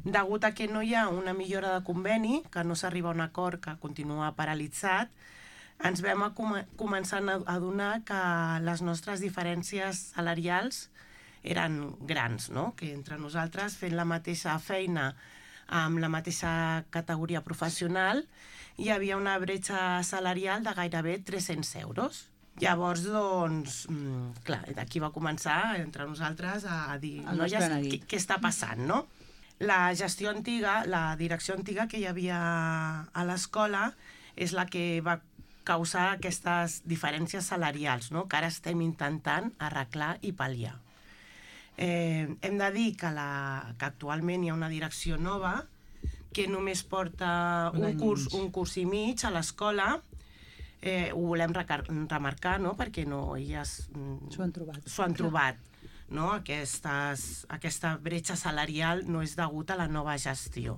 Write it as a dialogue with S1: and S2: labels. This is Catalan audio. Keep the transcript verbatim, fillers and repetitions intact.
S1: Degut a que no hi ha una millora de conveni, que no s'arriba a un acord, que continua paralitzat, ens vam a com començar a adonar que les nostres diferències salarials eren grans, no? Que entre nosaltres, fent la mateixa feina amb la mateixa categoria professional, hi havia una bretxa salarial de gairebé tres-cents euros. Llavors, doncs, clar, d'aquí va començar entre nosaltres a dir, noies, què, què està passant, no? La gestió antiga, la direcció antiga que hi havia a l'escola és la que va causar aquestes diferències salarials, no? Que ara estem intentant arreglar i pal·liar. Eh, hem de dir que, la, que actualment hi ha una direcció nova que només porta un, un curs, un curs i mig a l'escola. Eh, ho volem remarcar, no? Perquè no, elles
S2: s'ho han trobat,
S1: s'ho han trobat, no? Aquestes, aquesta bretxa salarial no és degut a la nova gestió.